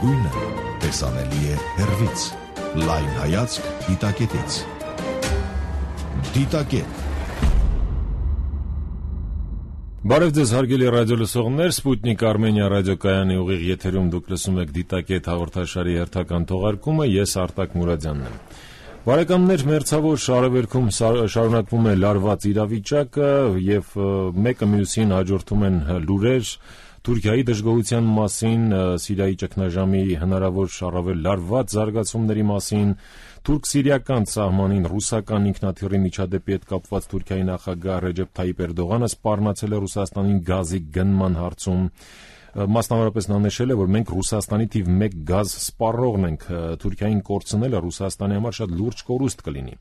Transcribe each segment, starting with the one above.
լավագույնը տեսանելի է հեռվից։ Լայն հայացք դիտակետից։ Դիտակետ։ Բարև ձեզ հարգելի ռադիոլսողներ, Սպուտնիկ Արմենիա ռադիոկայանի ուղիղ եթերում դուք լսում եք Դիտակետ հաղորդաշարի հերթական թողարկումը, ես Արտակ Մուրադյանն եմ։ Բարեկամներ, մերձավոր արևելքում շարունակվում է լարված իրավիճակը եւ մեկը մյուսին հաջորդում են լուրեր Թուրքիայի դժգոհության մասին, Սիրիայի ճգնաժամի հնարավոր առավել լարված զարգացումների մասին, թուրք-սիրիական սահմանին ռուսական ինքնաթիռի միջադեպի հետ կապված Թուրքիայի նախագահ Ռեջեփ Թայիպ Էրդողանը սպառնացել է Ռուսաստանին գազի գնման հարցում։ Մասնավորապես նա նշել է, որ մենք Ռուսաստանի թիվ 1 գազ սպառողն ենք, Թուրքիային կորցնելը Ռուսաստանի համար շատ լուրջ կորուստ կլինի,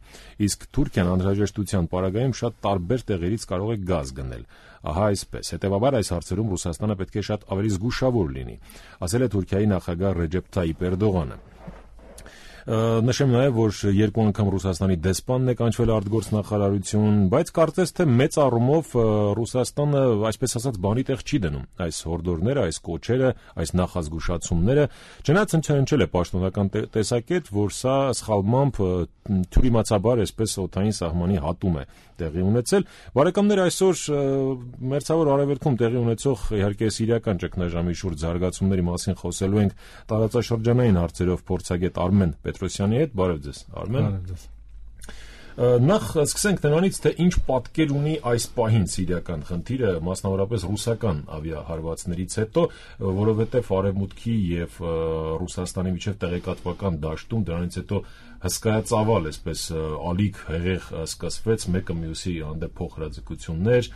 իսկ Թուրքիան անհրաժեշտության պարագայում շատ տարբեր տեղերից կարող է գազ գնել։ Ահա այսպես, հետևաբար այս հարցերում Ռուսաստանը պետք է շատ ավելի զգուշավոր լինի, ասել է Թուրքիայի նախագահ Ռեջեփ Թայիպ Էրդողանը։ Նշեմ նաև, որ 2 անգամ Ռուսաստանի դեսպանն է կանչվել արտգործնախարարություն, բայց կարծես թե մեծ առումով Ռուսաստանը, այսպես ասած, բանի տեղ չի դնում այս հորդորները, այս կոչերը, այս նախազգուշացումները, չնայած հնչել է պաշտոնական տեսակետ, որ սա սխալմամբ թյուրիմացաբար այսպես օդային սահմանի հատում է տեղի ունեցել։ Բարեկամներ, այսօր մերձավոր արևելքում տեղի ունեցող իհարկե սիրիական ճգնաժամի շուրջ զարգացումների մասին խոսելու ենք տարածաշրջանային հարցերով փորձագետ Արմեն Պետրոսյանի հետ։ Բարև ձեզ, Արմեն։ Բարև ձեզ։ Նախ սկսենք նրանից, թե ինչ պատկեր ունի այս պահին սիրիական խնդիրը, մասնավորապես ռուսական ավիահարվածներից հետո, որովհետև Արևմուտքի եւ Ռուսաստանի միջև տեղեկատվական դաշտում դրանից հետո հսկայածավալ, այսպես ալիք հեղեղ սկսվեց, մեկը մյուսի հանդեպ փոխհրաձգություններ,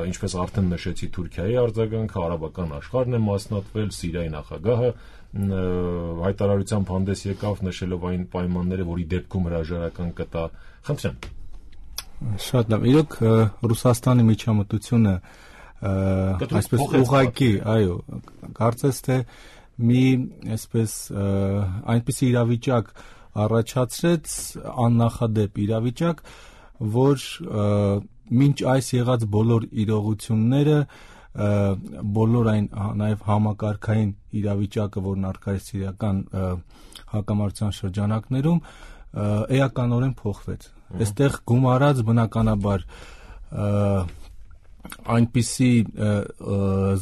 ինչպես արդեն նշեցի, Թուրքիայի արձագանքը, արաբական աշխարհն է մասնատվել, Սիրիայի նախագահը հայտարարությամբ հանդես եկավ, նշելով այն պայմանները, որի դեպքում հրաժարական կտա։ Խնդրեմ։ Շատ լավ։ Իրոք Ռուսաստանի միջամտությունը այսպես ուղղակի, այո, կարծես թե մի այսպես այնպիսի իրավիճակ առաջացրեց, աննախադեպ իրավիճակ, որ մինչ այս եղած բոլոր իրողությունները, բոլոր այն նաև համակարգային իրավիճակը, որն առկա է սիրիական հակամարտության շրջանակներում, էականորեն փոխվեց։ Այստեղ գումարած բնականաբար այնպիսի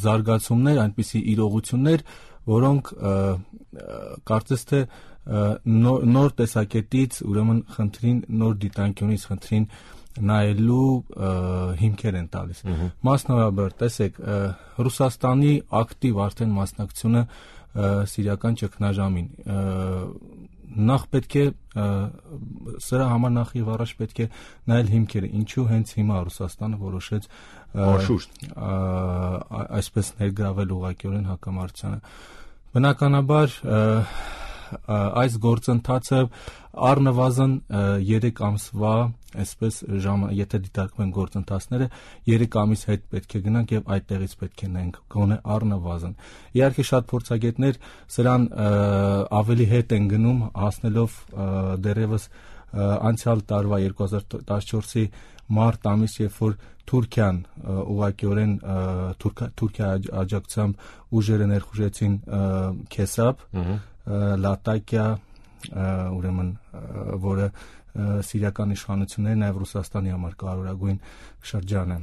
զարգացումներ, այնպիսի իրողություններ, որոնք կարծես թե նոր տեսակետից, ուրեմն խնդրին նոր դիտանկյունից խնդրին նայելու հիմքեր են տալիս։ Մասնավորաբար, տեսեք, Ռուսաստանի ակտիվ արդեն մասնակցությունը սիրիական ճգնաժամին, նախ պետք է սրա համար նախ եւ առաջ պետք է նայել հիմքերը, ինչու հենց հիմա Ռուսաստանը որոշեց այսպես ներգրավել ուղղակիորեն հակամարտությանը։ Բնականաբար այս գործընթացը առնվազն 3 ամսվա, այսպես եթե դիտարկվեն գործընթացները, 3 ամիս հետ պետք է գնանք եւ այդտեղից պետք է նայենք, գոնե առնվազն։ Իհարկե շատ փորձագետներ սրան ավելի հետ են գնում, հասնելով դեռևս անցյալ տարվա 2014-ի մարտ ամիս, երբ որ Թուրքիան ուղղակիորեն Թուրքիայի աջակցությամբ ուժերը ներխուժեցին Քեսապ, Լատակիա, ուրեմն որը սիրիական իշխանությունների, նաև Ռուսաստանի համար կարևորագույն շրջան է։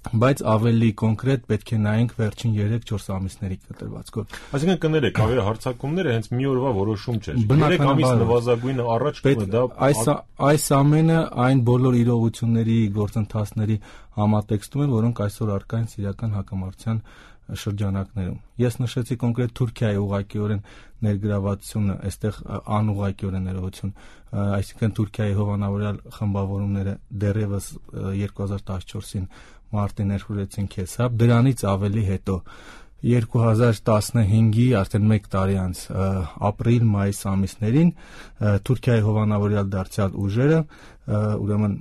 Բայց ավելի կոնկրետ պետք է նայենք վերջին 3-4 ամիսների կտրվածքով։ Այսինքն կներեք, ավիահարձակումները հենց մի օրվա որոշում չէր։ 3 ամիս նվազագույնը առաջ դա այս ամենը այն բոլոր իրողությունների, գործընթացների համատեքստում են, որոնք այսօր առկա են սիրիական հակամարտության շրջանակներում։ Ես նշեցի կոնկրետ Թուրքիայի ուղղակիորեն ներգրավվածությունը, այստեղ անուղղակիորեն ներողություն, այսինքն Թուրքիայի հովանավորյալ խմբավորումները դեռևս 2014-ին մարտին ներխուժեցին Քեսապ, դրանից ավելի հետո 2015-ի արդեն 1 տարի անց ապրիլ-մայիս ամիսներին Թուրքիայի հովանավորյալ դարձյալ ուժերը ուրեմն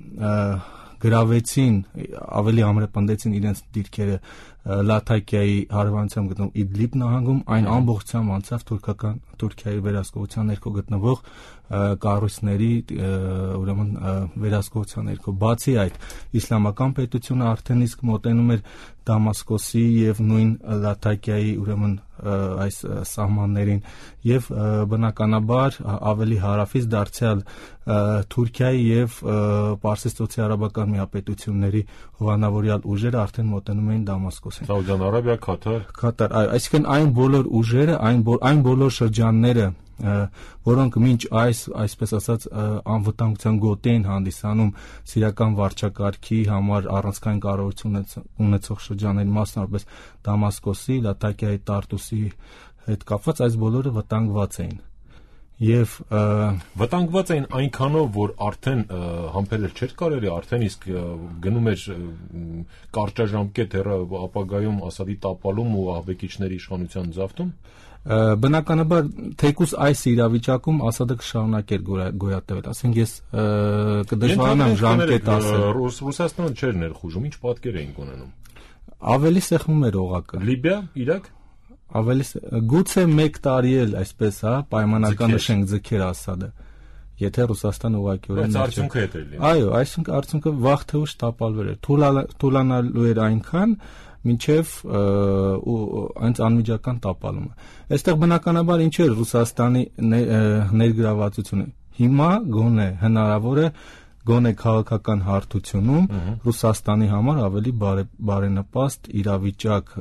գրավեցին, ավելի ամրապնդեցին իրենց դիրքերը Լաթակիայի հարևանությամբ գտնվող Իդլիբ նահանգում, այն ամբողջությամբ անցավ Թուրքիայի վերահսկողության ներքո գտնվող կառույցների ուրեմն վերահսկողության ներքո։ Բացի այդ, իսլամական պետությունը արդեն իսկ մոտենում էր Դամասկոսի եւ նույն Լաթակիայի ուրեմն այս սահմաններին եւ բնականաբար ավելի հարավից դարձյալ Թուրքիայի եւ Պարսից արաբական միապետությունների հովանավորյալ ուժերը արդեն մոտենում էին Դամասկոսին։ Սաուդյան Արաբիա, Կատար, այսինքն այն բոլոր ուժերը, այն բոլոր շրջանները, որոնք մինչ այսպես ասած անվտանգության գոտի են հանդիսանում սիրիական վարչակարգի համար առանցքային կարողություն ունեցող շրջանների, մասնավորապես Դամասկոսի, Լաթակիայի, Տարտուսի հետ կապված, այս բոլորը վտանգված էին։ Եվ վտանգված էին այնքանով, որ արդեն համբերել չէր կարելի, արդեն իսկ գնում էր կարճաժամկետ ապագայում Ասադի տապալում ու ահաբեկիչների իշխանության զավթում։ Բնականաբար, թեկուզ այս իրավիճակում Ասադը կշարունակեր գոյատևել, ասենք ես կդժվարանամ ժամկետ ասել։ Ռուսաստանը չէր ներխուժում, ինչ պատկեր էինք ունենում։ Ավելի սեղմում էր օղակը։ Լիբիա, Իրաք։ Ավելի գուցե 1 տարի էլ այսպես, պայմանականաշենք ձգեր Ասադը, եթե Ռուսաստանը ուղղակիորեն արդյունքը հետ էր լինի։ Այո, այսինքն արդյունքը վաղ թե ուշ տապալվեր էր, թուլանալու էր այնքան, մինչև այնց անմիջական տապալումը։ Այստեղ բնականաբար ինչ էր Ռուսաստանի ներգրավվածությունը։ Հիմա գոնե հնարավոր է գոնե քաղաքական հարթությունում Ռուսաստանի համար ավելի բարենպաստ իրավիճակ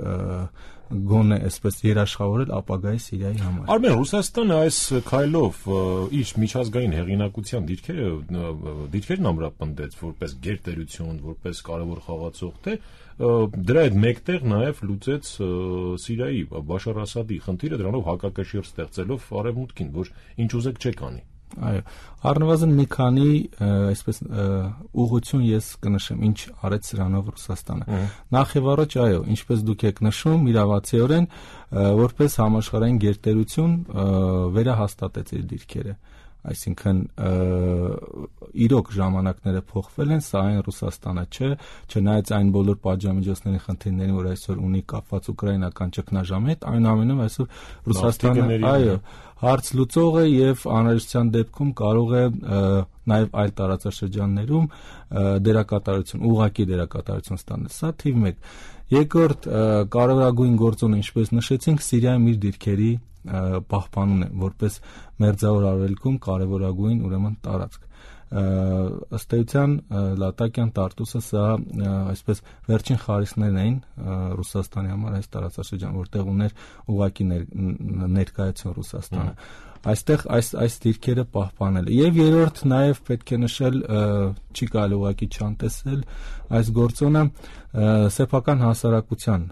գոնե այսպես երաշխավորել ապագայի Սիրիայի համար։ Արմեն, Ռուսաստանը այս քայլով իր միջազգային հեղինակության դիրքերն ամրապնդեց որպես գերտերություն, որպես կարևոր խաղացող, թե դրա հետ մեկտեղ նաև լուծեց Սիրիայի Բաշար Ասադի խնդիրը, դրանով հակակշիռ ստեղծելով արևմուտքին, որ ինչ ուզեք չեք անի։ Այո, առնվազն մի քանի այսպես ուղղություն ես կնշեմ, ինչ արեց սրանով Ռուսաստանը։ Նախ եւ առաջ, այո, ինչպես դուք եք նշում, իրավացիորեն որպես համաշխարհային գերտերություն վերահաստատեց իր դիրքերը։ Այսինքն իրոք ժամանակները փոխվել են, սա այն Ռուսաստանը չէ, չնայած այն բոլոր պատժամիջոցների խնդիրներին, որ այսօր ունի կապված ուկրաինական ճգնաժամի հետ, այնուամենայնիվ այսօր Ռուսաստանը, այո, հարց լուծող է եւ անհրաժեշտության դեպքում կարող է նաեւ այլ տարածաշրջաններում դերակատարություն, ուղղակի դերակատարություն ստանալ։ Սա թիվ 1։ Երկրորդ կարևորագույն գործոնը, ինչպես նշեցինք, Սիրիայում իր դիրքերի պահպանումն է, որպես մերձավոր արևելքում կարևորագույն ուրեմն տարածք։ Ըստ էության Լատակիան, Տարտուսը սա այսպես վերջին խարիսներն էին Ռուսաստանի համար այս տարածաշրջան, որտեղ ուներ ուղղակի ներկայություն Ռուսաստանը։ Այստեղ այս դիրքերը պահպանել։ Եվ երրորդ նաև պետք է նշել, չի կարելի ուղղակի չանտեսել այս գործոնը սեփական հասարակության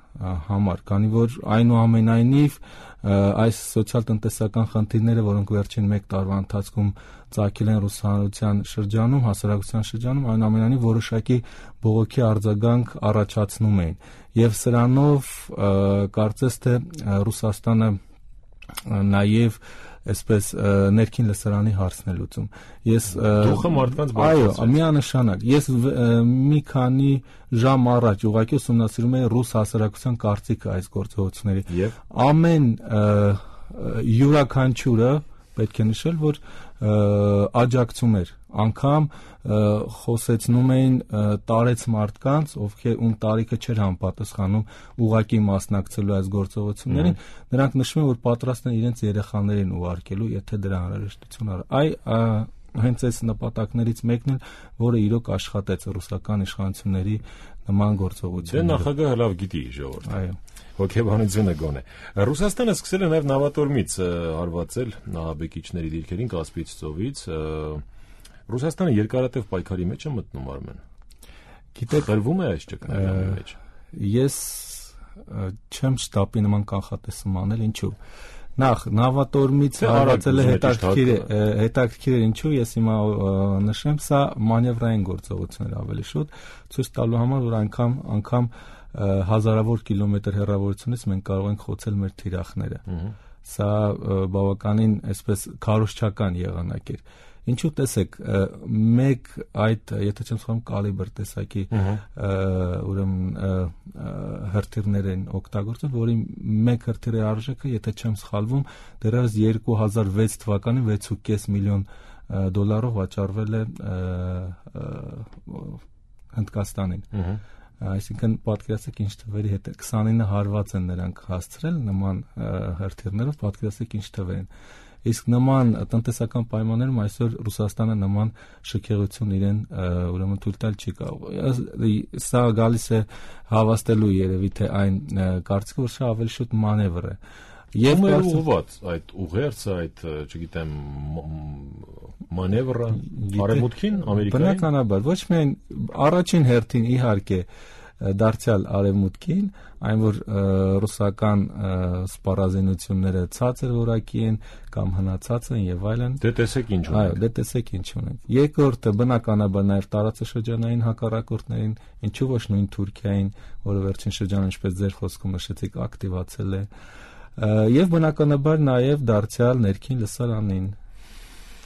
համար, քանի որ այնուամենայնիվ այս սոցիալ-տնտեսական խնդիրները, որոնք վերջին 1 տարվա ընթացքում ծագել են ռուսահանության շրջանում, հասարակության շրջանում, այնուամենայնիվ որոշակի բողոքի արձագանք առաջացնում էին։ Եվ սրանով կարծես թե Ռուսաստանը նաև այսպես ներքին լսարանի հարցն է լուծում։ Ես դուխը մարդկանց բարձրացրեց։ Այո, միանշանակ։ Ես մի քանի ժամ առաջ ուղղակի ուսումնասիրում էի ռուս հասարակության կարծիքը այս գործողությունների։ Ամեն յուրաքանչյուրը պետք է նշել, որ աջակցում էր, անգամ խոսեցնում էին տարեց մարդկանց, ում տարիքը չէր համապատասխանում ուղղակի մասնակցելու այս գործողություններին, նրանք նշում են, որ պատրաստ են իրենց երեխաներին ուղարկելու, եթե դրա անհրաժեշտություն առ։ Հենց այս նպատակներից մեկն էլ, որը իրոք աշխատեց ռուսական իշխանությունների նման գործողությունները։ Դե նախագահը լավ գիտի ժողովուրդ։ Այո։ Հոգեբանությունը գոնե։ Ռուսաստանը սկսել է նաև նավատորմից հարվածել ահաբեկիչների դիրքերին Կասպից ծովից։ Ռուսաստանը երկարատև պայքարի մեջ է մտնում, Արմեն։ Գիտեք, խրվում է այս ճգնաժամի մեջ։ Ես չեմ շտապի նման կանխատեսում անել, ինչու։ Նախ նավատորմից հարվածելը հետաքրքիր է, ինչու ես հիմա նշեմ, սա մանևրային գործողություն էր ավելի շուտ, ցույց տալու համար, որ անգամ հազարավոր կիլոմետր հեռավորությունից մենք կարող ենք խոցել մեր թիրախները։ Սա բավականին այսպես քարոզչական եղանակ էր։ Ինչու տեսեք, մեկ այդ, եթե չեմ սխալվում, կալիբր տեսակի ուրեմն հրթիռներ են օգտագործել, որի մեկ հրթիռի արժեքը, եթե չեմ սխալվում, դեռևս 2006 թվականին 6.5 միլիոն դոլարով վաճառվել է Հնդկաստանին։ Այսինքն պատկերացրեք ինչ թվերի հետ 29 հարված են նրանք հասցրել նման հրթիռներով, պատկերացրեք ինչ թվեր են։ Իսկ նման տնտեսական պայմաններում այսօր Ռուսաստանը նման շքեղություն իրեն ուրեմն թույլ տալ չի կարող։ Սա գալիս է հավաստելու երևի թե այն կարծիքը, որ սա ավելի շուտ մանևր է։ Եվ ուղղված այդ ուղերձը, այդ, չգիտեմ, մանևրը արևմուտքին, Ամերիկային։ Բնականաբար, ոչ միայն առաջին հերթին իհարկե դարձյալ արևմուտքին, այն որ ռուսական սպառազինությունները ցածր որակի են կամ հնացած են եւ այլն։ Դե տեսեք ինչ ունենք։ Այո, դե տեսեք ինչ ունենք։ Երկրորդը բնականաբար նաեւ տարածաշրջանային հակառակորդներին, ինչու ոչ նույն Թուրքիային, որը վերջին շրջանում, ինչպես ձեր խոսքում նշեցիք, ակտիվացել է։ Եվ բնականաբար նաև դարձյալ ներքին լսարանին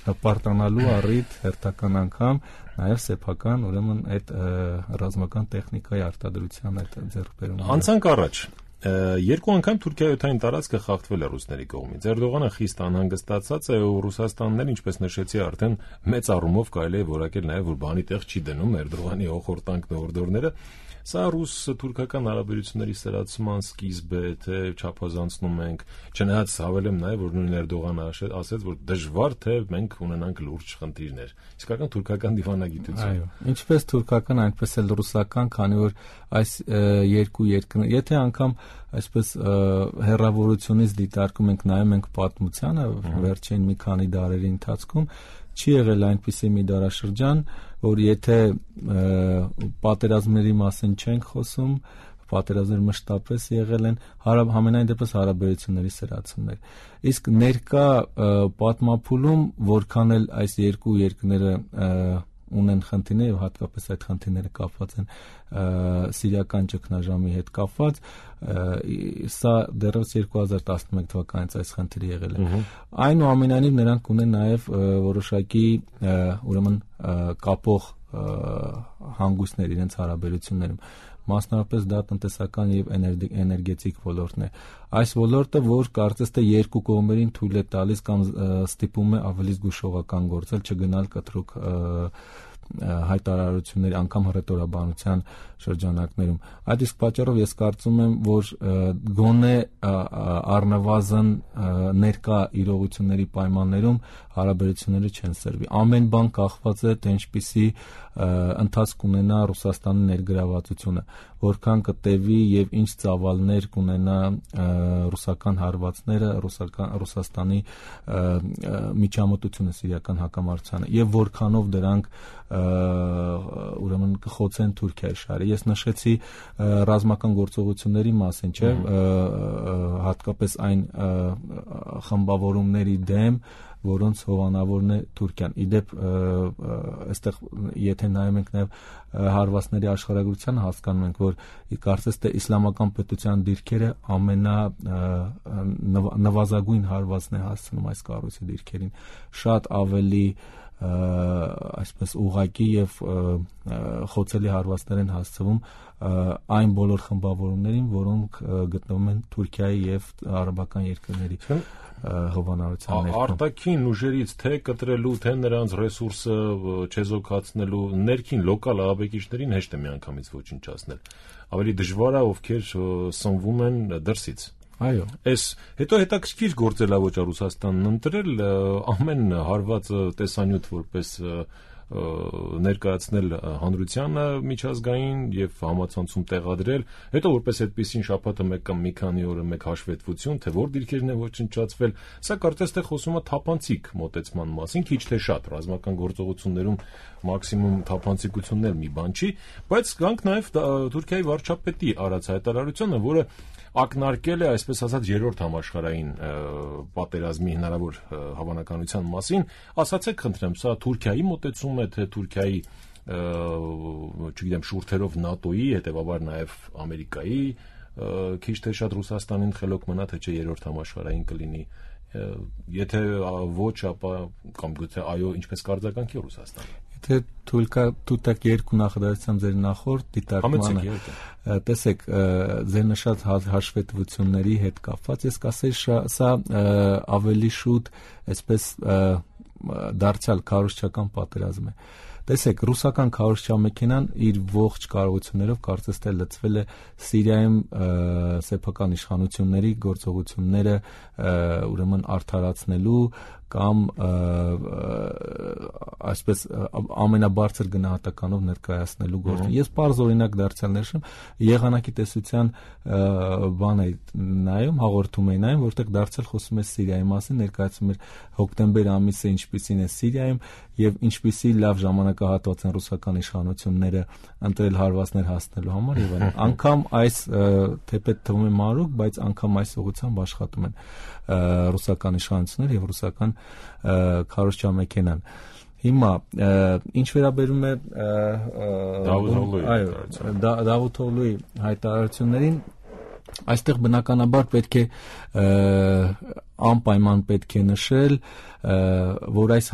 պարտանալու առիթ հերթական անգամ նաև սեփական ուրեմն այդ ռազմական տեխնիկայի արտադրության այդ ձեռքբերումը։ Անցանք առաջ։ Երկու անգամ Թուրքիայի տարածքը խախտվել է ռուսների կողմից։ Էրդողանը խիստ անհանգստացած է ու ռուսաստաններ, ինչպես նշեցի արդեն, մեծ առումով կարելի է որակել նաև, որ բանի տեղ չի դնում Էրդողանի հոխորտանքն ու օրդորները։ Սա ռուս-թուրքական հարաբերությունների սրացման սկիզբ է, թե չափազանցնում ենք, չնայած հավելեմ նաև, որ նույն Էրդողանը ասեց, որ դժվար թե մենք ունենանք լուրջ խնդիրներ։ Իսկական թուրքական դիվանագիտություն։ Այո, ինչպես թուրքական, այնպես էլ ռուսական, քանի որ այս երկու երկրներ, եթե անգամ այսպես հեռավորությունից դիտարկում ենք, նայում ենք պատմությանը վերջին մի քանի դարերի ընթացքում, չի եղել այնպիսի մի դարաշրջան, որ եթե պատերազմների մասին չենք խոսում, պատերազմներ մշտապես եղել են, համենայն դեպս հարաբերությունների սրացումներ։ Իսկ ներկա պատմափուլում որքան էլ այս երկու երկրները ունեն խնդիրներ եւ հատկապես այդ խնդիրները կապված են սիրիական ճգնաժամի հետ կապված, սա դեռևս 2011 թվականից այս խնդիրը եղել է։ Այնուամենայնիվ նրանք ունեն նաեւ որոշակի ուրեմն կապող հանգույցներ իրենց հարաբերություններում, մասնավորապես դա տնտեսական եւ էներգետիկ ոլորտն է։ Այս ոլորտը, որ կարծես թե երկու կողմերին թույլ է տալիս կամ ստիպում է ավելի զգուշողական գործել, չգնալ կտրուկ հայտարարությունների, անգամ հռետորաբանության շրջանակներում։ Այդ իսկ պատճառով ես կարծում եմ, որ գոնե առնվազն ներկա իրողությունների պայմաններում հարաբերությունները չեն սրվի։ Ամեն բան կախված է, թե ինչպիսի ընթացք ունենա Ռուսաստանի ներգրավվածությունը, որքան կտևի եւ ինչ ծավալներ կունենա ռուսական հարվածները, Ռուսաստանի միջամտությունը սիրիական հակամարտությանը եւ որքանով դրանք ուրեմն կխոցեն Թուրքիայի շահերը։ Ես նշեցի ռազմական գործողությունների մասին, չէ՞, հատկապես այն խմբավորումների դեմ, որոնց հովանավորն է Թուրքիան։ Իդեպ այստեղ եթե նայում ենք նաև հարվածների աշխարհագրությանը, հասկանում ենք, որ կարծես թե իսլամական պետության դիրքերը նվազագույն հարվածն է հասցնում այս կառույցի դիրքերին, շատ ավելի այսպես ուղղակի եւ խոցելի հարվածներ են հասցվում այն բոլոր խմբավորումներին, որոնք գտնվում են Թուրքիայի եւ արաբական երկրների հովանավորության ներքո։ Արտաքին ուժերից թե կտրելու, թե նրանց ռեսուրսը չեզոքացնելու, ներքին լոկալ ահաբեկիչներին հեշտ է միանգամից ոչնչացնել։ Ավելի դժվար է, ովքեր սնվում են դրսից։ Այո։ Այս հետո հետաքրքիր գործելավոճ է Ռուսաստանն ընտրել ամեն հարվածը տեսանյութ որպես ներկայացնել հանրությանը միջազգային եւ համացանցում տեղադրել, հետո որպես այդպեսին շաբաթը մեկ կամ մի քանի օրը մեկ հաշվետվություն, թե որ դիրքերն են ոչնչացվել, սա կարծես թե խոսում է թափանցիկ մոտեցման մասին, քիչ թե շատ ռազմական գործողություններում մաքսիմում թափանցիկություններ մի բան չի, բայց գանք նաեւ Թուրքիայի վարչապետի արած հայտարարությունը, որը ակնարկել է, այսպես ասած, երրորդ համաշխարհային պատերազմի հնարավոր հավանականության մասին, ասացեք խնդրեմ, սա Թուրքիայի մոտեցում է, թե Թուրքիայի, չգիտեմ, շուրթերով ՆԱՏՕ-ի, հետեւաբար նաև Ամերիկայի, քիչ թե շատ Ռուսաստանին խելոք մնա, թե չէ երրորդ համաշխարհային կլինի Եթե ոչ, ապա կամ գուցե այո, ինչպես կարձականքի Ռուսաստանը։ Եթե թույլ կա դուք երկու նախադասությամբ ձեր նախորդ դիտարկմանը տեսեք ձեր նշած հաշվետվությունների հետ կապված, ես կասեի սա ավելի շուտ այսպես դարձյալ քարոզչական պատերազմ է։ Տեսեք, ռուսական քարոզչամեքենան իր ողջ կարողություններով կարծես թե լցվել է Սիրիայում սեփական իշխանությունների գործողությունները ուրեմն արդարացնելու կամ այսպես ամենաբարձր գնահատականով ներկայացնելու գործը։ Ես բարձ օրինակ դարձյալ ներշեմ եղանակի տեսության բան է նայում, հաղորդում է նայում, որտեղ դարձյալ խոսում է Սիրիայի մասին, ներկայացում է հոկտեմբեր ամիսը ինչպիսին է Սիրիայում եւ ինչպիսի լավ ժամանակահատված են ռուսական իշխանությունները ընտրել հարվածներ հասնելու համար եւ այլն։ Անկամ այս թեպետ թվում է մանրուք, բայց անգամ այս ուղղությամբ աշխատում են ռուսական իշխանությունները եւ ռուսական քարոզչամեքենան։ Հիմա ինչ վերաբերում է Դավութօղլուի հայտարարություններին, այստեղ բնականաբար պետք է անպայման պետք է նշել, որ այս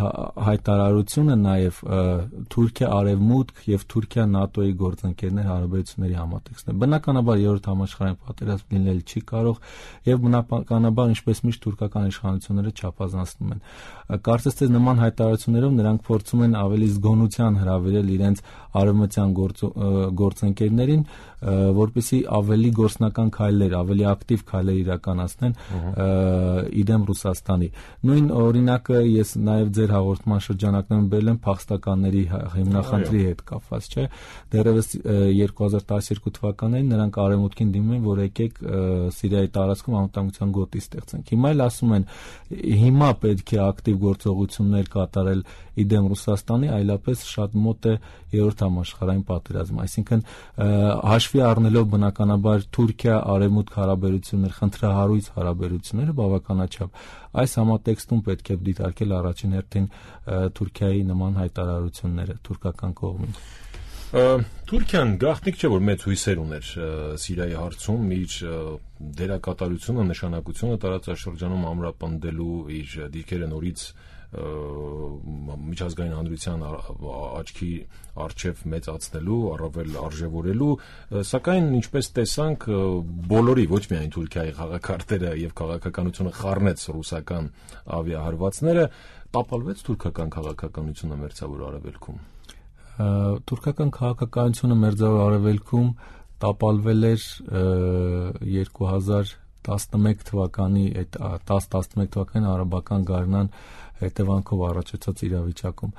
հայտարարությունը նաև Թուրքիա արևմուտք եւ Թուրքիա ՆԱՏՕ-ի գործընկերներ հարաբերությունների համատեքստն է։ Բնականաբար երրորդ համաշխարհային պատերազմ լինել չի կարող եւ բնականաբար ինչպես միշտ թուրքական իշխանությունները չափազանցնում են։ Կարծես թե նման հայտարարություններով նրանք փորձում են ավելի զգոնության հրավիրել իրենց արևմտյան գործընկերներին, որպեսզի ավելի գործնական քայլեր, ավելի ակտիվ քայլեր իրականացնեն իդեմ Ռուսաստանի։ Նույն օրինակը ես նաև ձեր հաղորդման շրջանակներում բերել եմ փախստականների հիմնախնդրի հետ կապված, չէ՞։ Դեռևս 2012 թվականին նրանք արևմուտքին դիմում են, որ եկեք Սիրիայի տարածքում անվտանգության գոտի ստեղծենք։ Հիմա էլ ասում են, հիմա պետք է ակտիվ գործողություններ կատարել իդեմ Ռուսաստանի, այլապես շատ մոտ է երրորդ համաշխարհային պատերազմ։ Այսինքն հաշվի առնելով բնականաբար Թուրքիա-արևմուտք հարաբերություններ, խնդրահարույց հարաբերությունները բավականաչափ, այս համատեքստում պետք է դիտարկել առաջին հերթին Թուրքիայի նման հայտարարությունները թուրքական կողմից։ Թուրքիան գաղտնիք չէ, որ մեծ հույսեր ուներ Սիրիայի հարցում իր դերակատարությունը, նշանակությունը տարածաշրջանում ամրապնդելու, իր դիրքերը նորից միջազգային հանրության աչքի առջև մեծացնելու, առավել արժևորելու, սակայն ինչպես տեսանք, բոլորի, ոչ միայն Թուրքիայի խաղակարտերը եւ քաղաքականությունը խառնեց ռուսական ավիահարվածները, տապալվեց թուրքական քաղաքականությունը մերձավոր արևելքում։ Թուրքական քաղաքականությունը մերձավոր արևելքում տապալվել էր 2011 թվականի այդ 10-11 թվականի արաբական գարնան հետևանքով առաջացած իրավիճակում,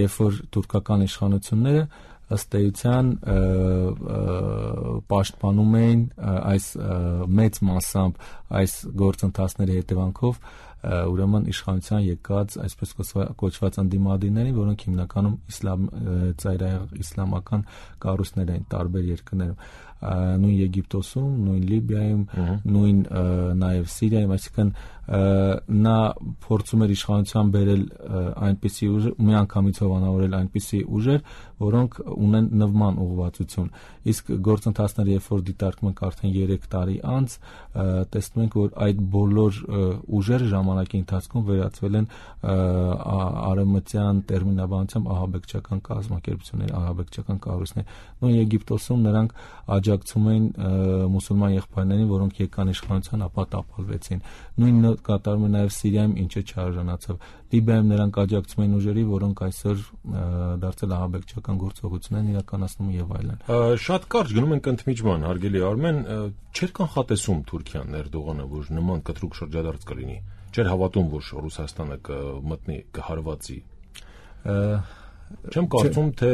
երբ որ թուրքական իշխանությունները ըստ էության պաշտպանում էին այս մեծ մասամբ այս գործընթացների հետևանքով ուրեմն իշխանության եկած այսպես կոչված ընդդիմադիրներին, որոնք հիմնականում իսլամական կառույցներ են տարբեր երկրներում, նույն Եգիպտոսում, նույն Լիբիայում, նույն նաև Սիրիայում, այսինքն նա փորձում էր իշխանության բերել այնպիսի ուժեր, միանգամից հովանավորել այնպիսի ուժեր, որոնք ունեն նվման ուղղվածություն։ Իսկ գործընթացները, երբ որ դիտարկում ենք արդեն 3 տարի անց, տեսնում ենք, որ այդ բոլոր ուժերը ժամանակի ընթացքում վերածվել են արևմտյան տերմինաբանությամբ ահաբեկչական կազմակերպություններ, ահաբեկչական կառույցներ։ Նույն Եգիպտոսում նրանք աջակցում էին մուսուլման եղբայրներին, որոնք եկան իշխանության, ապա տապալվեցին։ Նույնը կատարում է նաև Սիրիայում, ինչը չարժանացավ։ Լիբիայում նրանք աջակցում են ուժերի, որոնք այսօր դարձել ահաբեկչական գործողություններ իրականացնում եւ այլն։ Շատ կարճ գնում ենք ընդմիջման, հարգելի Արմեն, չէր կանխատեսում Թուրքիան Էրդողանը, որ նման կտրուկ շրջադարձ կլինի։ Չէր հավատում, որ Ռուսաստանը կմտնի, կհարվածի։ Չեմ կարծում, թե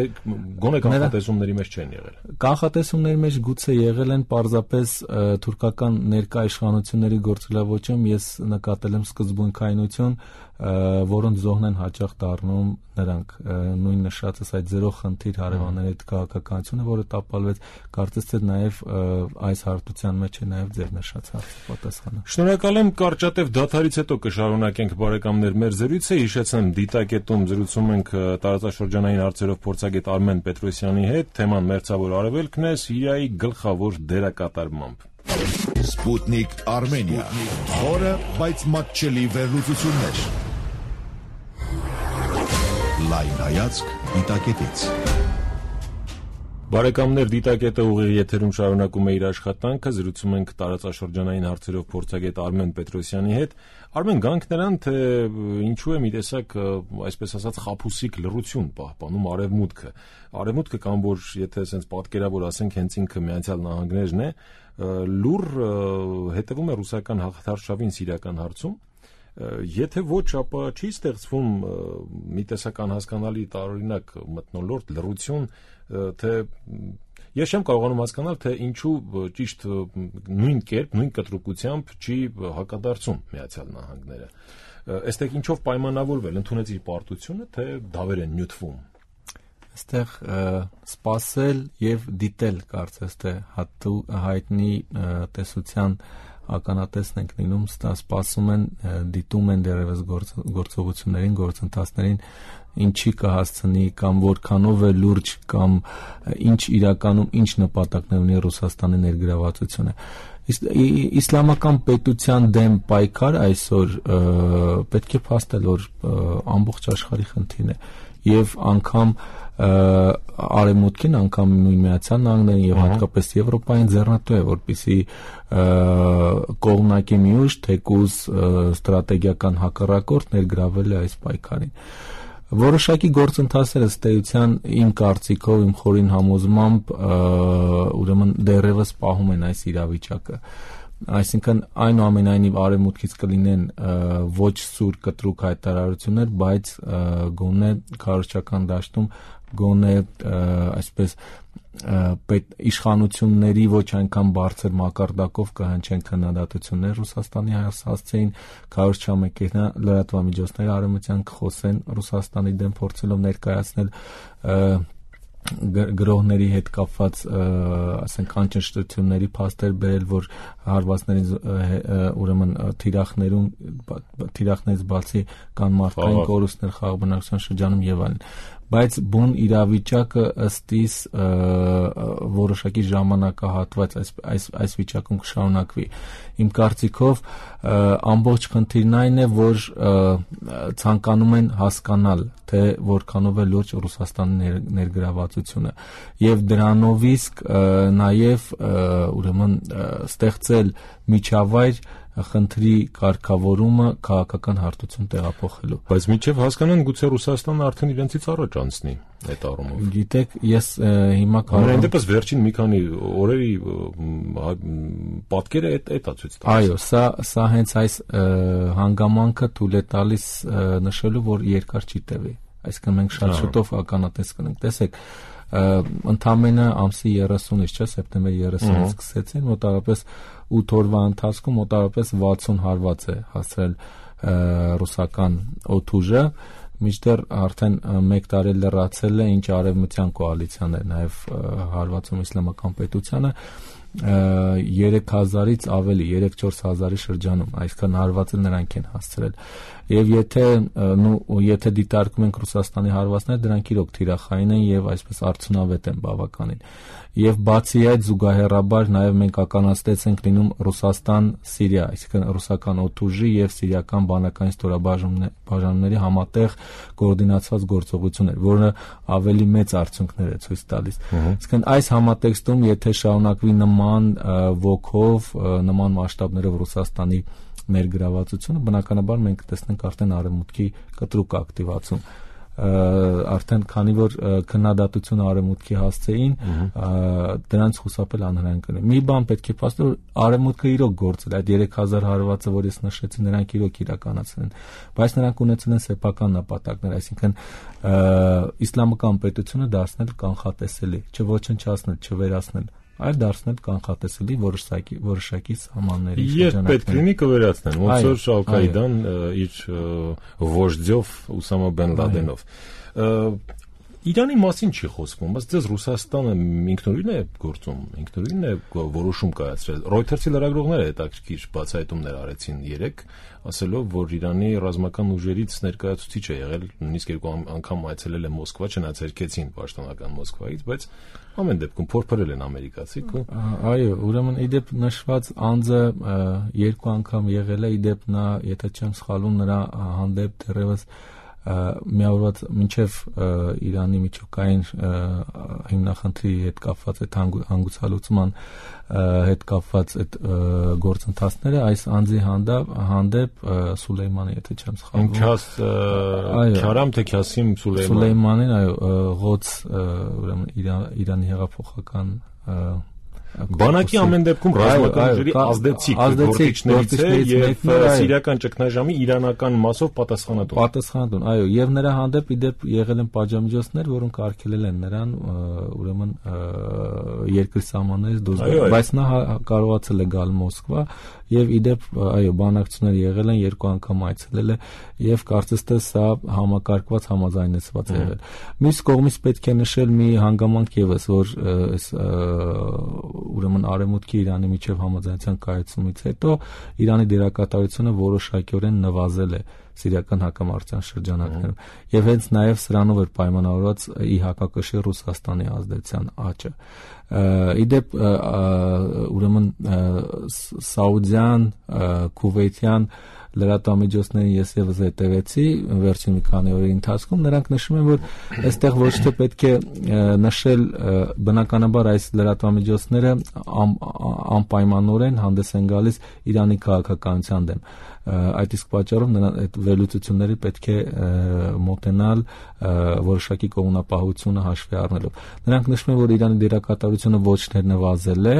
գոնե կանխատեսումների մեջ չեն եղել։ Կանխատեսումների մեջ գուցե եղել են պարզապես թուրքական ներկա իշխանությունների գործելավոճում ես նկատել եմ սկզբունքայնություն, որոնց զոհն են հաճախ դառնում նրանք։ Նույն նշածս այդ զերո խնդիր հարևանների հետ քաղաքականությունը, որը տապալվեց, կարծես թե նաև այս հարթության մեջ է նաև ձեր նշած հարցի պատասխանը։ Շնորհակալ եմ, կարճատև դադարից հետո կշարունակենք բարեկամներ մեր զրույցը, հիշեցեմ դիտակետում զրուցում ենք տարածաշրջանային հարցերով փորձագետ Արմեն Պետրոսյանի հետ, թեման մերձավոր արևելքն է Սիրիայի գլխավոր դերակատարմամբ։ Sputnik Armenia. Խորը, բայց մատչելի վերլուծություններ։ Լայն հայացք դիտակետից։ Բարեկամներ, դիտակետը ուղիղ եթերում շարունակում է իր աշխատանքը, զրուցում ենք տարածաշրջանային հարցերով փորձագետ Արմեն Պետրոսյանի հետ։ Արմեն, գանք նրան, թե ինչու է մի տեսակ, այսպես ասած, խաբուսիկ լռություն պահպանում Արևմուտքը։ Արևմուտքը կամ որ, եթե ասենք պատկերավոր ասենք, հենց ինքը Միացյալ Նահանգներն է, լուր հետևում է ռուսական հաղթարշավին սիրիական հարցում։ Եթե ոչ, ապա չի ստեղծվում մի տեսակ անհասկանալի տարօրինակ մթնոլորտ, լռություն, թե ես չեմ կարողանում հասկանալ, թե ինչու ճիշտ նույն կերպ, նույն կտրուկությամբ չի հակադարձում Միացյալ Նահանգները։ Այստեղ ինչով պայմանավորվել, ընդունեց իր պարտությունը, թե դավեր են նյութվում։ Այստեղ սպասել եւ դիտել, կարծես թե հայտնի տեսության ականատեսն ենք լինում, սպասում են, դիտում են դեռևս գործողություններին, գործընթացներին, ինչի կհասցնի կամ որքանով է լուրջ կամ ինչ իրականում ինչ նպատակներ ունի Ռուսաստանի ներգրավվածությունը։ Իսլամական պետության դեմ պայքար այսօր պետք է փաստել, որ ամբողջ աշխարհի խնդիրն է եւ անգամ Արևմուտքին, անգամ նույն Միացյալ Նահանգներին եւ հատկապես Եվրոպային ձեռնտու է, որպեսզի կողմնակի մի ուժ թեկուզ ստրատեգիական հակառակորդ ներգրավել է այս պայքարին։ Որոշակի գործընթացները ըստ էության իմ կարծիքով, իմ խորին համոզմամբ ուրեմն դեռևս պահում են այս իրավիճակը։ Այսինքն այնուամենայնիվ Արևմուտքից կլինեն ոչ սուր կտրուկ հայտարարություններ, բայց գոնե քարոզչական դաշտում գոնե այսպես իշխանությունների ոչ այնքան բարձր մակարդակով կհնչեն քննադատություններ Ռուսաստանի հասցեին, քարոզչամեքենա լրատվամիջոցները արևմտյան կխոսեն Ռուսաստանի դեմ, փորձելով ներկայացնել գրողների հետ կապված, ասենք, անճշտությունների փաստեր բերել, որ հարվածների ուրեմն թիրախներից բացի կան մարդկային կորուստներ խաղաղ բնակչության շրջանում եւ այլն, բայց բուն իրավիճակը ըստ իս որոշակի ժամանակահատված այս վիճակում կշարունակվի։ Իմ կարծիքով ամբողջ խնդիրն այն է, որ ցանկանում են հասկանալ, թե որքանով է լուրջ Ռուսաստանի ներգրավվածությունը եւ դրանով իսկ նաեւ ուրեմն ստեղծել միջավայր խնդրի կարգավորումը քաղաքական հարթություն տեղափոխելու։ Բայց մինչև հասկանան, գուցե Ռուսաստանը արդեն իրենցից առաջ անցնի այդ առումով։ Գիտեք, ես հիմա կարող եմ դեպս վերջին մի քանի օրերի պատկերը այդ է ցույց տալիս։ Այո, սա հենց այս հանգամանքը թույլ է տալիս նշելու, որ երկար չի տևի։ Այսինքն մենք շատ շուտով ականատես կլինենք։ Տեսեք, ընդամենը ամսի 30-ից, չէ, սեպտեմբերի 30-ից սկսեցին, մոտավորապես 8 օրվա ընթացքում մոտավորապես 60 հարված է հասցրել ռուսական օդուժը, մինչդեռ արդեն 1 տարի լրացել է, ինչ արևմտյան կոալիցիան է նաև հարվածում իսլամական պետությանը 3000-ից ավելի, 3-4 հազարի շրջանում, այսքան հարվածը նրանք են հասցրել։ Եվ եթե դիտարկում ենք Ռուսաստանի հարվածները, դրանք իրոք թիրախային են եւ այսպես արդյունավետ են բավականին։ Եւ բացի այդ զուգահեռաբար նաեւ մենք ականատես ենք լինում Ռուսաստան-Սիրիա, այսինքն ռուսական օդուժի եւ սիրիական բանակային ստորաբաժանումների համատեղ կոորդինացված գործողություններ, որը ավելի մեծ արդյունքներ է ցույց տալիս։ Այսինքն այս համատեքստում, եթե շարունակվի նման ոգով, նման մասշտաբներով Ռուսաստանի ներգրավվածությունը, բնականաբար մենք կտեսնենք արդեն արևմուտքի կտրուկ ակտիվացում։ Արդեն քանի որ քննադատությունը արևմուտքի հասցեին, դրանց խուսափել անհնարին կլինի։ Մի բան պետք է փաստել, որ արևմուտքը իրոք գործել, այդ 3000 հարվածը, որ ես նշեցի, նրանք իրոք իրականացրել են, բայց նրանք ունեցել են սեփական նպատակներ, այսինքն իսլամական պետությունը դարձնել կանխատեսելի, չոչնչացնել, չվերացնել, այլ դարձնել կանխատեսելի որոշակի սահմանների շրջանակներ։ Երբ պետք լինի կվերացնեն, ոնց որ Ալ-Կաիդան իր վոժդյով Ուսամա բեն Լադենով։ Իրանի մասին չի խոսվում, բայց ձեզ Ռուսաստանը ինքնուրույն է գործում, ինքնուրույն է որոշում կայացրել։ Reuters-ի լրագրողները հետաքրքիր բացահայտումներ արեցին երեք, ասելով, որ Իրանի ռազմական ուժերից ներկայացուցիչ է եղել, նույնիսկ 2 անգամ այցելել է Մոսկվա, չնայած հերքեցին պաշտոնական Մոսկվայից, բայց ամեն դեպքում փորփրել են ամերիկացիք ու այո, ուրեմն իդեպ նշված անձը 2 անգամ եղել է, իդեպ նա, եթե չեմ սխալվում, նրա հանդեպ դեռևս միավորված մինչև Իրանի միջուկային հիմնախնդրի հետ կապված այդ հանգուցալուծման հետ կապված այդ գործընթացները այս անձի հանդեպ Սուլեյմանի, եթե չեմ սխալվում, Քյարամ թե Քյասիմ Սուլեյմանին, այո, ղոց ուրեմն Իրանի հեղափոխական բանակի ամեն դեպքում ռազմական ուժերի ազդեցիկ գործիչներից է եւ սիրիական ճգնաժամի իրանական մասով պատասխանատուն, այո, եւ նրա հանդեպ իդեպ եղել են պատժամիջոցներ, որոնք արգելել են նրան ուրեմն երկրի սահմաններից դուրս գալ, բայց նա կարողացել է գալ Մոսկվա եւ իդեպ այո, բանակցություններ եղել են, 2 անգամ այցելել է եւ կարծես թե սա համակարգված համաձայնեցված է եղել։ Մյուս կողմից պետք է նշել մի հանգամանք եւս, որ այս ուրեմն արևմուտքի Իրանի միջև համաձայնության կայացումից հետո Իրանի դերակատարությունը որոշակիորեն նվազել է սիրիական հակամարտության շրջանակներում եւ հենց նաեւ սրանով էր պայմանավորված ի հակակշիռ Ռուսաստանի ազդեցության աճը։ Իդեպ ուրեմն սաուդյան, քուվեյթյան լրատվամիջոցներին ես եւս հետևեցի վերջին մի քանի օրերի ընթացքում, նրանք նշում են, որ այստեղ ոչ թե պետք է նշել, բնականաբար այս լրատվամիջոցները անպայմանորեն հանդես են գալիս Իրանի քաղաքականության դեմ։ Այդ իսկ պատճառով նրան այդ վերլուծությունների պետք է մոտենալ որոշակի կողմնապահությունը հաշվի առնելով։ Նրանք նշում են, որ Իրանի դերակատարությունը ոչ թե նվազել է,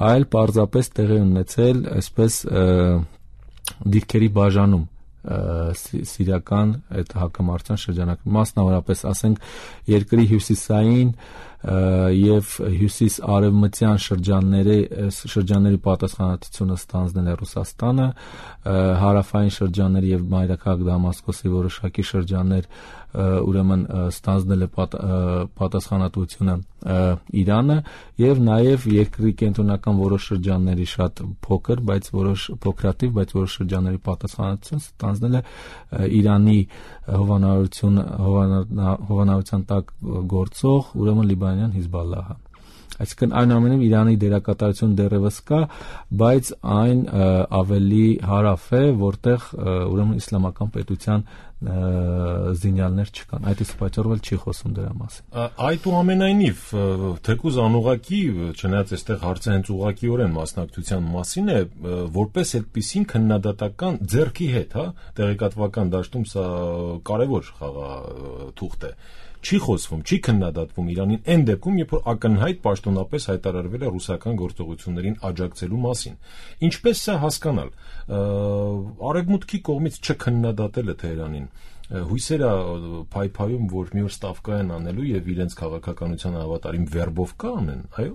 այլ պարզապես տեղի ունեցել այսպես դիրքերի բաժանում սիրիական այդ հակամարտության շրջանակում, մասնավորապես ասենք երկրի հյուսիսային եւ հյուսիս-արևմտյան շրջանների պատասխանատվությունը ստանձնել է Ռուսաստանը, հարավային շրջանների եւ մայրաքաղաք Դամասկոսի որոշակի շրջաններ ուրեմն ստանձնել է պատասխանատվությունը Իրանը եւ նաեւ երկրի կենտրոնական որոշ շրջանների շատ փոքր, բայց փոքրաթիվ, բայց որոշ շրջանների պատասխանատվություն ստանձնել է Իրանի հովանավորության տակ գործող ուրեմն լիբանանյան Հիզբալլահը։ Այսինքն այնուամենայնիվ Իրանի դերակատարություն դեռևս կա, բայց այն ավելի հարավ է, որտեղ ուրեմն իսլամական պետության զինյալներ չկան։ Այդ իսկ պատճառով չի խոսում դրա մասին։ Այդուամենայնիվ, թեկուզ անուղղակի, չնայած այստեղ հարցը հենց ուղղակիորեն մասնակցության մասին է, որպես այդպիսին քննադատական ձեռքի հետ, տեղեկատվական դաշտում սա կարևոր խաղաթուղթ է։ Չի խոսվում, չի քննադատվում Իրանին այն դեպքում, երբ որ ակնհայտ պաշտոնապես հայտարարվել է ռուսական գործողություններին աջակցելու մասին։ Ինչպես սա հասկանալ։ Արևմուտքի կողմից չքննադատելը Թեհրանին հույսերը փայփայում, որ մի օր ստավկա են անելու եւ իրենց քաղաքականության հավատարիմ վերբով կանեն, այո։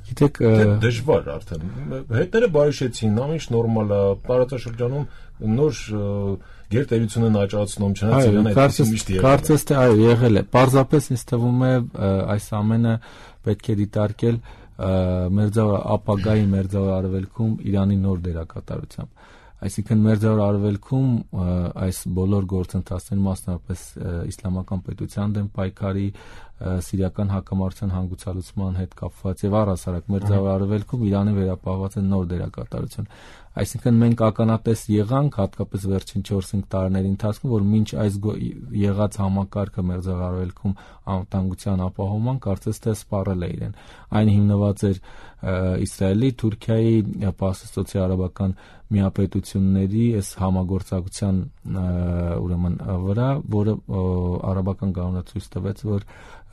Գիտեք, դժվար արդեն հետները բարիշեցին, ամեն ինչ նորմալ է, տարածաշրջանում նոր գերտերությունն աճացնում, չնայած Իրանը այդպես միշտ եղել է։ Կարծես թե այո, եղել է։ Պարզապես ինձ թվում է այս ամենը պետք է դիտարկել ապագայի մերձավոր արևելքում Իրանի նոր դերակատարությամբ։ Այսինքն մերձավոր արևելքում այս բոլոր գործընթացների, մասնավորապես իսլամական պետության դեմ պայքարի, սիրիական հակամարտության հանգուցալուծման հետ կապված եւ առհասարակ մերձավոր արևելքում Իրանի վերապահված է նոր դերակատարություն։ Այսինքն մենք ականատես եղանք հատկապես վերջին 4-5 տարիների ընթացքում, որ մինչ այս եղած համակարգը մերձավոր արևելքում անվտանգության ապահովման կարծես թե սպառել է իրեն։ Այն հիմնված էր Իսրայելի, Թուրքիայի, Պարսկաստոցի արաբական միապետությունների այս համագործակցության ուրեմն վրա, որը արաբական գաղութը ցույց տվեց, որ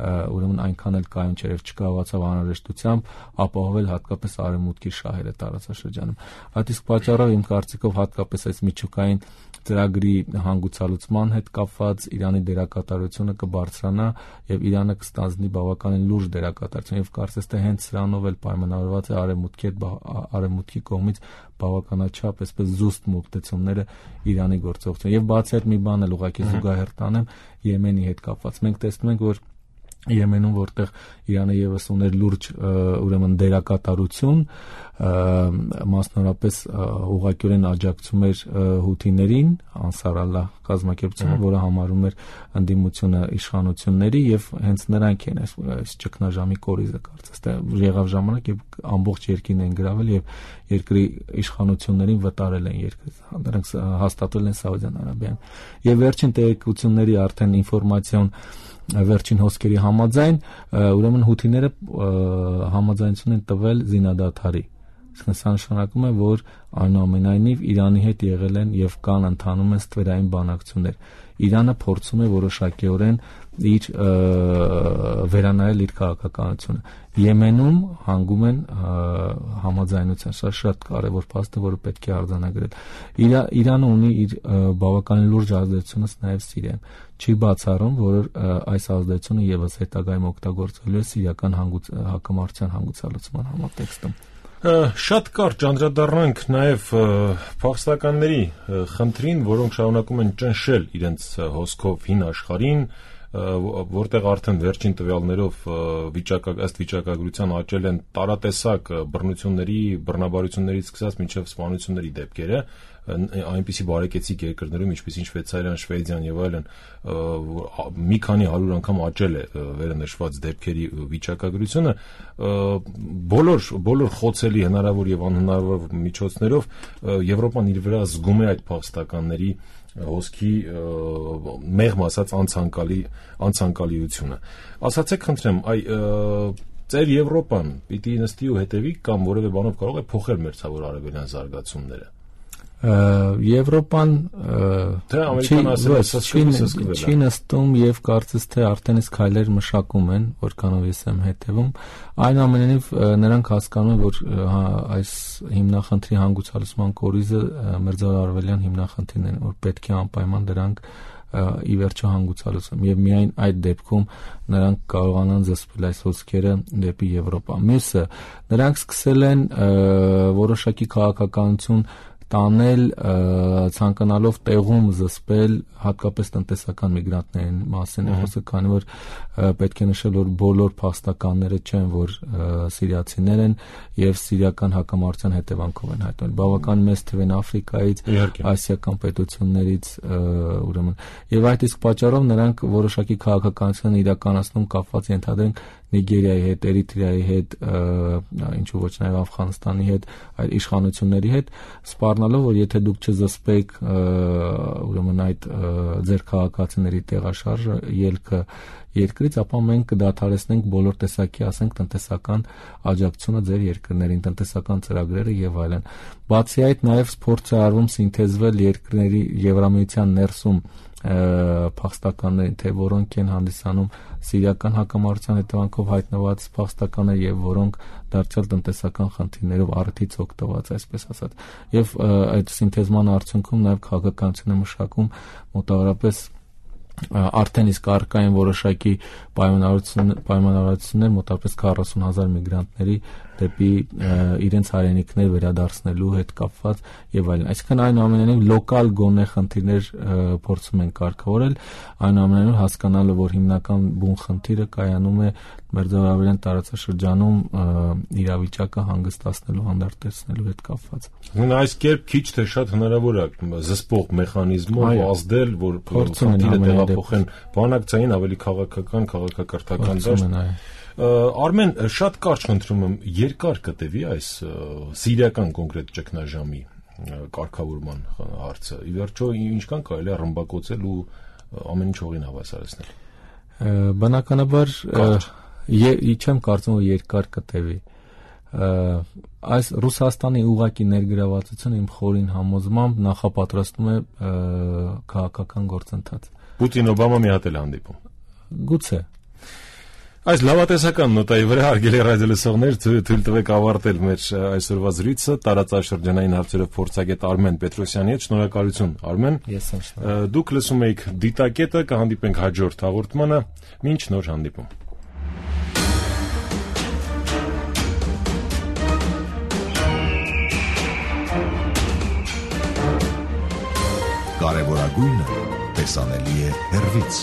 ուրեմն այնքան էլ կայուն չէր, չկարողացավ անհրաժեշտությամբ ապահովել հատկապես արևմուտքի շահերը տարածաշրջանում։ Այդ իսկ պատճառով իմ կարծիքով հատկապես այս միջուկային ծրագրի հանգուցալուծման հետ կապված Իրանի դերակատարությունը կբարձրանա եւ Իրանը կստանձնի բավականին լուրջ դերակատարություն եւ կարծես թե հենց սրանով էլ պայմանավորված է արևմուտքի կողմից բավականաչափ այսպես զուստ մոտեցումները Իրանի գործողություն։ Եվ բացի այդ մի բան էլ ուղղակի զուգահեռ տանեմ Եմենի հետ կապված։ Մենք տեսնում ենք, որ Եմենում, որտեղ Իրանը եւս ուներ լուրջ ուրեմն դերակատարություն, մասնավորապես ուղղակիորեն աջակցում էր հութիներին, Անսար Ալլահ կազմակերպությունը, որը համարում էր ընդդիմությունը իշխանությունների, եւ հենց նրանք են այս ճգնաժամի կորիզը կարծես թե եղավ ժամանակ, եւ ամբողջ երկիրն են գրավել եւ երկրի իշխանություններին վտարել են երկրից, նրանք հաստատել են Սաուդյան Արաբիան։ Եվ վերջին տեղեկությունների արդեն ինֆորմացիոն վերջին հոսքերի համաձայն, ուրեմն հութիները համաձայնություն են տվել զինադադարի։ Իսկ սա նշանակում է, որ այնուամենայնիվ Իրանի հետ եղել են եւ կան ընթանում են ստվերային բանակցություններ։ Իրանը փորձում է որոշակիորեն իր վերանայել իր քաղաքականությունը։ Եմենում հանգում են համաձայնության, սա շատ կարևոր փաստ է, որը պետք է արձանագրել։ Իրանը ունի իր բավականին լուրջ ազդեցությունս նաև Սիրիայում։ Չի բացառում, որ այս ազդեցությունը եւս հետագայում օգտագործվելու է սիրիական հակամարտության հանգուցալուծման համատեքստում։ Շատ կարճ անդրադառնանք նաև փախստականների խնդրին, որոնք շարունակում են ճնշել իրենց հոսքով հին աշխարհին, որտեղ արդեն վերջին տվյալներով ըստ վիճակագրության աճել են տարատեսակ բռնությունների, բռնաբարություններից սկսած մինչև սպանությունների դեպքերը, այնպիսի բարեկեցիկ երկրներում, ինչպիսին Շվեյցարիան, Շվեդիան եւ այլն, մի քանի 100 անգամ աճել է վերնշված դեպքերի վիճակագրությունը, բոլոր խոցելի հնարավոր եւ անհնարավոր միջոցներով Եվրոպան իր վրա զգում է այդ փախստականների հոսքի մեղմ ասած անցանկալիությունը։ Ասացեք խնդրեմ, ծեր Եվրոպան պիտի նստի ու հետևի կամ որևէ բանով կարող է փոխել մերձավոր արևելյան զարգացումները։ Եվրոպան չի նստում եւ կարծես թե արդեն իսկ քայլեր մշակում են, որքանով ես եմ հետևում, այնուամենայնիվ նրանք հասկանում են, որ այս հիմնախնդրի հանգուցալուծման կորիզը մերձավոր արևելյան հիմնախնդիրն են, որ պետք է անպայման դրանք ի վերջո հանգուցալուծում եւ միայն այդ դեպքում նրանք կարողանան զսպել այս հոսքերը դեպի Եվրոպա։ Մյուսը, նրանք սկսել են որոշակի քաղաքականություն տանել, ցանկանալով տեղում զսպել հատկապես տնտեսական միգրանտների մասին է խոսքը, քանի որ պետք է նշել, որ բոլոր փախստականները չեն, որ սիրիացիներ են եւ սիրիական հակամարտության հետևանքով են հայտնվել։ Բավական մեծ թիվ են Աֆրիկայից, ասիական պետություններից, ուրեմն եւ այդ իսկ պատճառով նրանք որոշակի քաղաքականություն իրականացնում կապված ենթադրենք Նիգերիայի հետ, Էրիտրեայի հետ, ինչու ոչ նաև Աֆղանստանի հետ, այդ իշխանությունների հետ, սպառնալով, որ եթե դուք չզսպեք ուրեմն այդ ձեր քաղաքացիների տեղաշարժը, ելքը երկրից, ապա մենք կդադարեցնենք բոլոր տեսակի, ասենք, տնտեսական աջակցությունը ձեր երկրներին, տնտեսական ծրագրերը եւ այլն։ Բացի այդ, նաև փորձ է արվում սինթեզվել երկրների Եվրամիության ներսում փախստականներին, թե որոնք են հանդիսանում սիրիական հակամարտության հետևանքով հայտնված փախստականներ եւ որոնք դարձյալ տնտեսական խնդիրներով առիթից օգտված, այսպես ասած։ Եվ այդ սինթեզման արդյունքում նաեւ քաղաքականություն է մշակում մոտավորապես արդեն իսկ առկա են որոշակի պայմանավորվածություններ մոտավորապես 40,000 միգրանտների դեպի իրենց հայրենիքներ վերադարձնելու հետ կապված եւ այլն։ Այսինքն այնուամենայնիվ լոկալ գոնե խնդիրներ փորձում են կարգավորել, այնուամենայնիվ հասկանալը, որ հիմնական բուն խնդիրը կայանում է մերձարևելյան տարածաշրջանում իրավիճակը հանգստացնելու, հանդարտեցնելու հետ կապված։ Այս կերպ քիչ թե շատ հնարավոր է զսպող մեխանիզմով ազդել, որ խնդիրը տեղափոխեն բանակցային ավելի քաղաքական, քաղաքակրթական դաշտ։ Արմեն, շատ կարճ խնդրում եմ, երկար կտևի այս սիրիական կոնկրետ ճգնաժամի կարգավորման հարցը։ Ի վերջո ինչքան կարելի է ռմբակոծել ու ամեն ինչ հողին հավասարեցնել։ Բնականաբար չեմ կարծում, որ երկար կտևի։ Այս Ռուսաստանի ուղղակի ներգրավվածությունը իմ խորին համոզմամբ նախապատրաստում է քաղաքական գործընթաց։ Պուտին-Օբամա մի հատ էլ հանդիպում։ Գուցե։ Այս լավատեսական նոտայի վրա հարգելի ռադիոլսողներ, թույլ տվեք ավարտել մեր այսօրվա զրույցը տարածաշրջանային հարցերով փորձագետ Արմեն Պետրոսյանի հետ։ Շնորհակալություն, Արմեն։ Ես եմ շնորհակալ։ Դուք լսում եք Դիտակետը, կհանդիպենք հաջորդ հաղորդմանը, մինչ նոր հանդիպում։ Կարևորագույնը տեսանելի է հեռվից։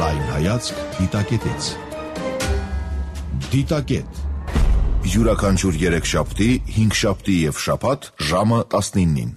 Լայն հայացք Դիտակետից։ Դիտակետ յուրաքանչյուր 3 շաբթի, 5 շաբթի եւ շաբաթ ժամը 19-ին։